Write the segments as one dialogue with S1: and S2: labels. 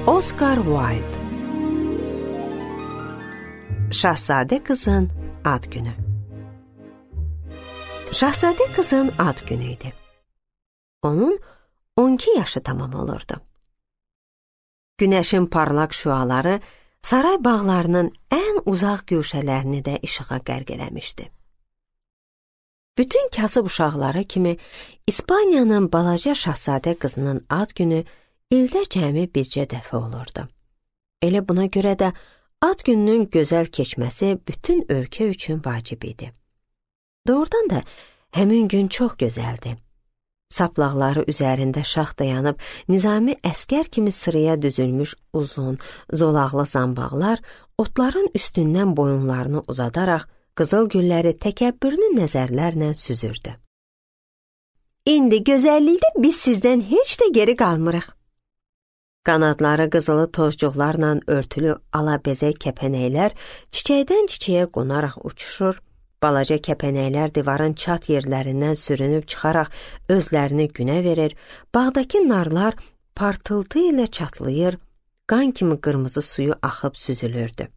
S1: Oscar Wilde Şahzadə qızın ad günü. Şahzadə qızın ad günü idi. Onun 12 yaşı tamam olurdu. Günəşin parlaq şüaları saray bağlarının ən uzaq güşələrini də işığa qərq eləmişdi. Bütün kasıb uşaqları kimi İspaniyanın balaca şahzadə qızının ad günü ildə cəmi bircə dəfə olurdu. Elə buna görə də ad gününün gözəl keçməsi bütün ölkə üçün vacib idi. Doğrudan da həmin gün çox gözəldi. Saplaqları üzərində şax dayanıb nizami əskər kimi sıraya düzülmüş uzun, zolaqlı zambaqlar otların üstündən boyunlarını uzadaraq qızıl gülləri təkəbbürlü nəzərlərlə süzürdü. İndi gözəllikdə biz sizdən heç də geri qalmırıq. Qanadları qızılı tozcuqlarla örtülü alabəzək kəpənəklər çiçəkdən çiçəyə qonaraq uçuşur, balaca kəpənəklər divarın çat yerlərindən sürünüb çıxaraq özlərini günə verir, bağdakı narlar partıltı ilə çatlayır, qan kimi qırmızı suyu axıb süzülürdü.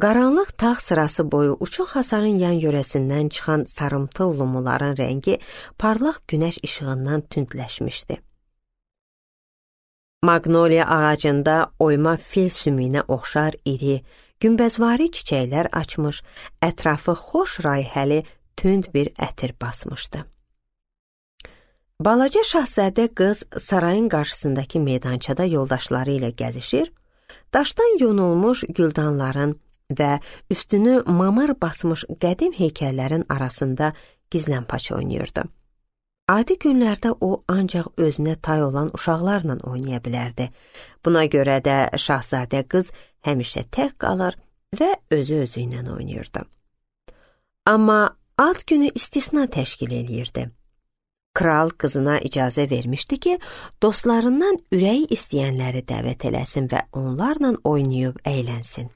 S1: Qaranlıq tağ sırası boyu uçuq hasarın yan yörəsindən çıxan sarımtıl lumuların rəngi parlaq günəş işığından tündləşmişdi. Magnoliya ağacında oyma fil sümüyünə oxşar iri, günbəzvari çiçəklər açmış, ətrafı xoş rayihəli tünd bir ətir basmışdı. Balaca şahzadə qız sarayın qarşısındakı meydançada yoldaşları ilə gəzişir, daşdan yonulmuş güldanların və üstünü mamır basmış qədim heykəllərin arasında gizlənpaç oynayırdı. Adi günlərdə o ancaq özünə tay olan uşaqlarla oynaya bilərdi. Buna görə də şahzadə qız həmişə tək qalır və özü ilə oynayırdı. Amma ad günü istisna təşkil eləyirdi. Kral qızına icazə vermişdi ki, dostlarından ürəyi istəyənləri dəvət eləsin və onlarla oynayıb əylənsin.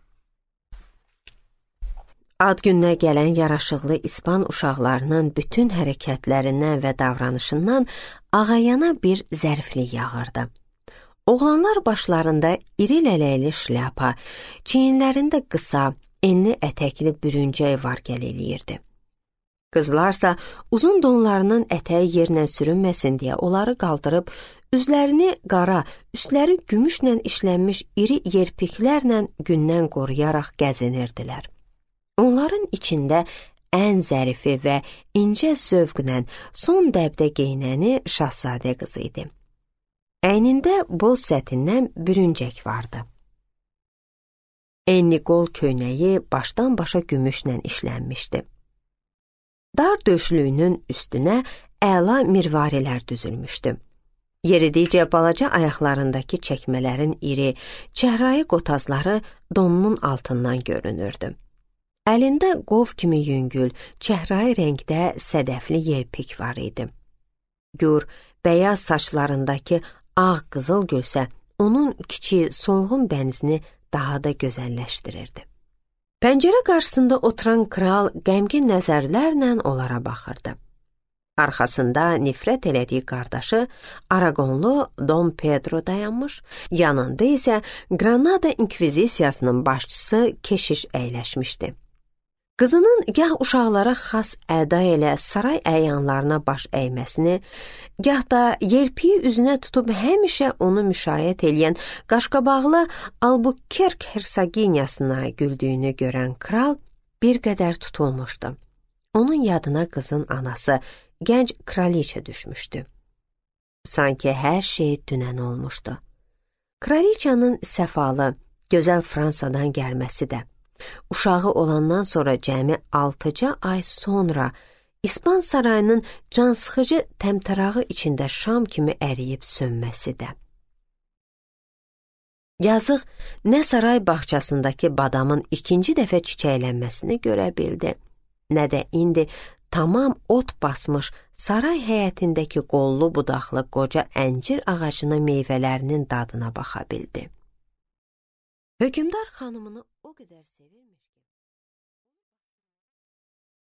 S1: Ad gününə gələn yaraşıqlı İspan uşaqlarının bütün hərəkətlərindən və davranışından ağayana bir zəriflik yağırdı. Oğlanlar başlarında iri lələkli şlyapa, çiyinlərində qısa, enli ətəkli bürüncək var-gəl eləyirdi. Qızlarsa uzun donlarının ətəyi yerinə sürünməsin deyə onları qaldırıb, üzlərini qara, üstləri gümüşlə işlənmiş iri yerpiklərlə gündən qoruyaraq gəzinirdilər. Onların içində ən zərifi və incə zövqlə son dəbdə geyinəni şahzadə qızı idi. Əynində boz sətindən bürüncək vardı. Enli qol köynəyi başdan başa gümüşlə işlənmişdi. Dar döşlüyünün üstünə əla mirvarilər düzülmüşdü. Yeridikcə balaca ayaqlarındakı çəkmələrin iri, çəhrayı qotazları donunun altından görünürdü. Əlində qov kimi yüngül, çəhrayı rəngdə sədəfli yelpik var idi. Gür, bəyaz saçlarındakı ağ qızıl gülsə, onun kiçik, solğun bənzini daha da gözəlləşdirirdi. Pəncərə qarşısında oturan kral qəmgin nəzərlərlə onlara baxırdı. Arxasında nifrət elədiyi qardaşı Aragonlu Dom Pedro dayanmış, yanında isə Granada İnkvizisiyasının başçısı keşiş əyləşmişdi. Qızının gah uşaqlara xas əda ilə saray əyanlarına baş əyməsini, gah da yelpiyi üzünə tutub həmişə onu müşayiət eləyən qaşqabaqlı Albuquerque hersoginyasına güldüyünü görən kral bir qədər tutulmuşdu. Onun yadına qızın anası, gənc kraliçə düşmüşdü. Sanki hər şey dünən olmuşdu. Kraliçanın səfalı, gözəl Fransadan gəlməsi də, uşağı olandan sonra cəmi 6 ay sonra İspan sarayının cansıxıcı təmtərağı içində şam kimi əriyib sönməsi də. Yazıq nə saray bağçasındakı badamın ikinci dəfə çiçəklənməsini görə bildi, nə də indi tamam ot basmış saray həyətindəki qollu budaqlı qoca əncir ağacının meyvələrinin dadına baxa bildi. Hökümdar xanımını o qədər sevirmiş.